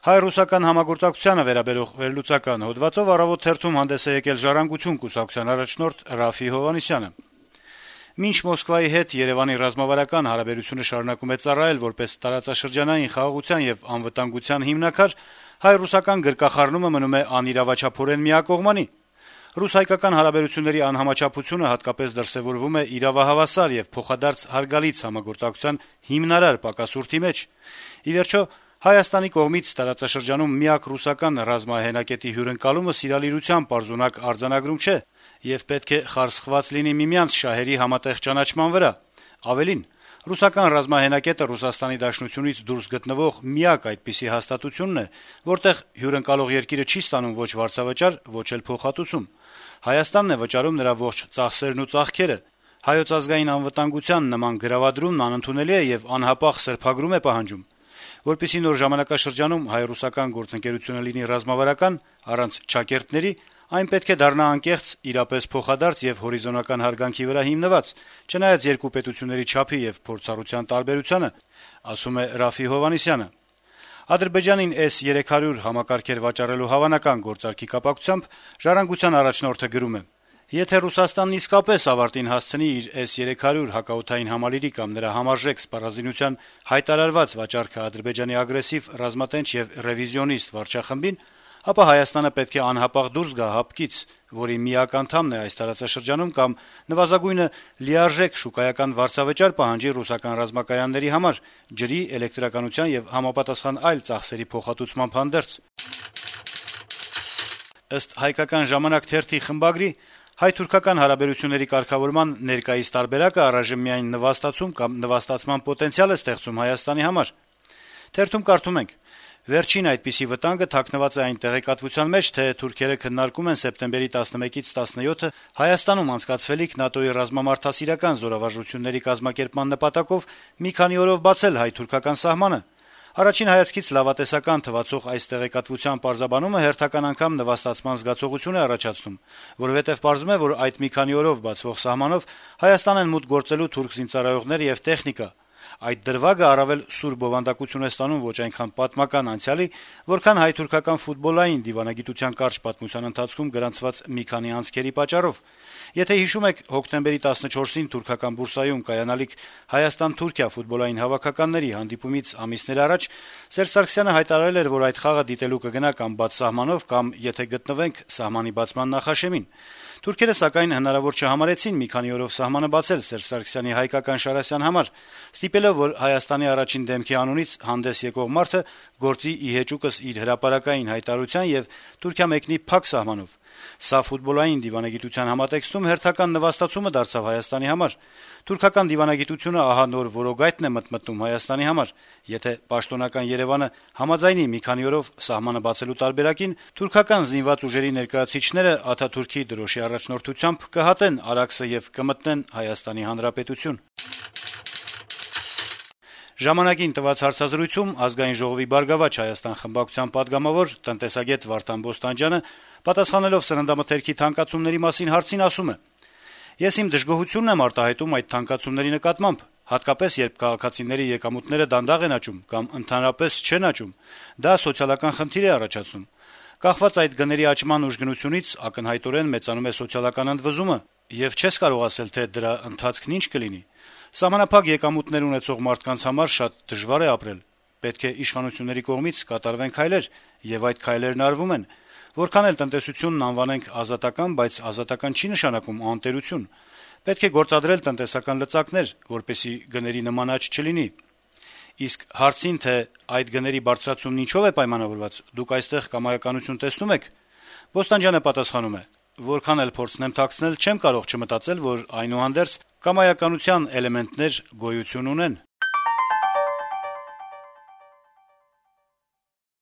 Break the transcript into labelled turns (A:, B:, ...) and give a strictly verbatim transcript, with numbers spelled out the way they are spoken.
A: Հայ-ռուսական համագործակցությանը վերաբերող վերլուծական հոդվածով «Առավոտ» թերթում հանդես է եկել «Ժառանգություն» կուսակցության առաջնորդ Րաֆֆի Հովհաննիսյանը: Մինչ Մոսկվայի հետ Երեւանի ռազմավարական հարաբերությունը շարունակում է ծառայել որպես տարածաշրջանային խաղաղության եւ անվտանգության հիմնաքար, հայ-ռուսական գրկախառնումը մնում է անիրավաչափորեն միակողմանի: Ռուս-հայկական հարաբերությունների անհամաչափությունը հատկապես դրսեւորվում է իրավահավասար եւ փոխադարձ հարգալից համագործակցության հիմնարար պակասուրդի մեջ: Ի վերջո, Հայաստանի կողմից տարածաշրջանում միակ ռուսական ռազմահենակետի հյուրընկալումը սիրալիրության պարզունակ արձանագրում չէ եւ պետք է խարսխված լինի միմյանց շահերի համատեղ ճանաչման վրա: Ավելին, ռուսական ռազմահենակետը Ռուսաստանի Դաշնությունից դուրս գտնվող միակ այդպիսի հաստատությունն է, որտեղ հյուրընկալող երկիրը չի ստանում ոչ վարձավճար, ոչ էլ փոխհատուցում: Հայաստանն է վճարում նրա ողջ ծախսերն ու ծաղկերը: Հայոց ազգային անվտանգության նման գրավադրումն անընդունելի է եւ անհապաղ սրբագրում է պահանջում: Որպեսզի նոր ժամանակաշրջանում հայ-ռուսական գործընկերությունը լինի ռազմավարական, առանց չակերտների, այն պետք է դառնա անկեղծ, իրապես փոխադարձ եւ հորիզոնական հարգանքի վրա հիմնված, չնայած երկու պետությունների չափի եւ փորձառության տարբերությանը, ասում է Րաֆֆի Հովհաննիսյանը: Ադրբեջանին էս երեք հարյուր համակարգեր վաճառելու հավանական գործարքի կապակցությամբ «Ժառանգության» առաջնորդը գրում է. - «Եթե Ռուսաստանն իսկապես ավարտին հասցնի իր էս երեք հարյուր հակաօդային համալիրի կամ նրա համարժեք սպառազինության հայտարարված վաճառքը Ադրբեջանի ագրեսիվ, ռազմատենչ եւ ռեվիզիոնիստ վարչախմբին, ապա Հայաստանը պետք է անհապաղ դուրս գա հապկից, որի միակ անդամն է այս տարածաշրջանում, կամ նվազագույնը լիարժեք շուկայական վարձավճար պահանջի ռուսական ռազմակայանների համար ջրի, էլեկտրականության եւ համապատասխան այլ ծախսերի փոխհատուցմամբ հանդերձ»: Ըստ «Հայկական ժամանակ» թերթի խմբագրի, հայ-թուրքական հարաբերությունների կարգավորման ներկայիս տարբերակը առայժմ միայն նվաստացում կամ նվաստացման պոտենցիալ է ստեղծում Հայաստանի համար: Թերթում կարդում ենք. - «Վերջին այդպիսի վտանգը թաքնված է այն տեղեկատվության մեջ, թե թուրքերը քննարկում են սեպտեմբերի տասնմեկից տասնյոթը Հայաստանում անցկացվելիք ՆԱՏՕ-ի ռազմամարդասիրական զորավարժությունների կազմակերպման նպատակով մի քանի օրով բացել հայ-թուրքական սահմանը: Առաջին հայացքից լավատեսական թվացող այս տեղեկատվության պարզաբանումը հերթական անգամ նվաստացման զգացողություն է առաջացնում, որովհետեւ պարզվում է, որ այդ մի քանի օրով բացվող սահմանով Հայաստան են մուտք գործելու թուրք զինծառայողներ եւ տեխնիկա: Այդ դրվագը առավել սուր բովանդակություն է ստանում ոչ այնքան պատմական անցյալի, որքան հայ-թուրքական ֆուտբոլային դիվանագիտության կարճ պատմության ընթացքում գրանցված մի քանի անցքերի պատճառով: Եթե հիշում եք, հոկտեմբերի տասնչորսին թուրքական Բուրսայում կայանալիք Հայաստան-Թուրքիա ֆուտբոլային հավաքականների հանդիպումից ամիսներ առաջ Սերժ Սարգսյանը հայտարարել էր, որ այդ խաղը դիտելու կգնա կամ բաց սահմանով, կամ, եթե գտնվենք սահմանի բացման նախաշեմին: Թուրքերը, սակայն, հնարավոր չհամարեցին մի քանի օրով սահմանը բացել Սերժ Սարգսյանի հայկական Շարասյան համար, ստիպելով, որ Հայաստանի առաջին դեմքի անունից հանդես եկող մարդը գործի ի հեճուկս իր հրապարակային հայտարարության եւ Թուրքիա մեկնի փակ սահմանով: Սա ֆուտբոլային դիվանագիտության համատեքստում հերթական նվաստացումը դարձավ Հայաստանի համար: Թուրքական դիվանագիտությունը ահա նոր որոգայթն է մտմտնում Հայաստանի համար: Եթե պաշտոնական Երեւանը համաձայնի մի քանի օրով սահմանը բացելու տարբերակին, թուրքական զինված ուժերի ներկայացուցիչները Աթաթուրքի դրոշի առաջնորդությամբ կհատեն Արաքսը եւ կմտնեն Հայաստանի Հանրապետություն»: «Ժամանակ»-ին տված հարցազրույցում Ազգային ժողովի «Բարգավաճ Հայաստան» խմբակցության պատգամավոր, տնտեսագետ Վարդան Բոստանջյանը, պատասխանելով սննդամթերքի թանկացումների մասին հարցին, ասում է. - «Ես իմ դժգոհությունն եմ արտահայտում այդ թանկացումների նկատմամբ, հատկապես երբ քաղաքացիների եկամուտները դանդաղ են աճում կամ ընդհանրապես չեն աճում: Դա սոցիալական խնդիր է առաջացնում: Կախված այդ գների աճման ուժգնությունից ակնհայտորեն մեծանում է սոցիալական ընդվզումը, եւ չես կարող ասել, թե դրա ընթացքն ինչ կլինի: Սահմանափակ եկամուտներ ունեցող մարդկանց համար շատ դժվար է ապրել: Պետք է իշխանությունների կողմից կատարվեն քայլեր, եւ այդ քայլերն արվում են: Որքան էլ տնտեսությունն անվանենք ազատական, բայց ազատական չի նշանակում անտերություն: Պետք է գործադրել տնտեսական լծակներ, որպեսզի գների նման աճ չլինի: Իսկ հարցին, թե այդ գների բարձրացումն ինչով է պայմանավորված, դուք այստեղ կամայականություն տեսնո՞ւմ եք, Բոստանջյանը պատասխանում է. - «Որքան էլ փորձեմ թաքցնել, չեմ կարող չմտածել, որ, այնուհանդերձ, կամայականության էլեմենտներ գոյություն ունեն»: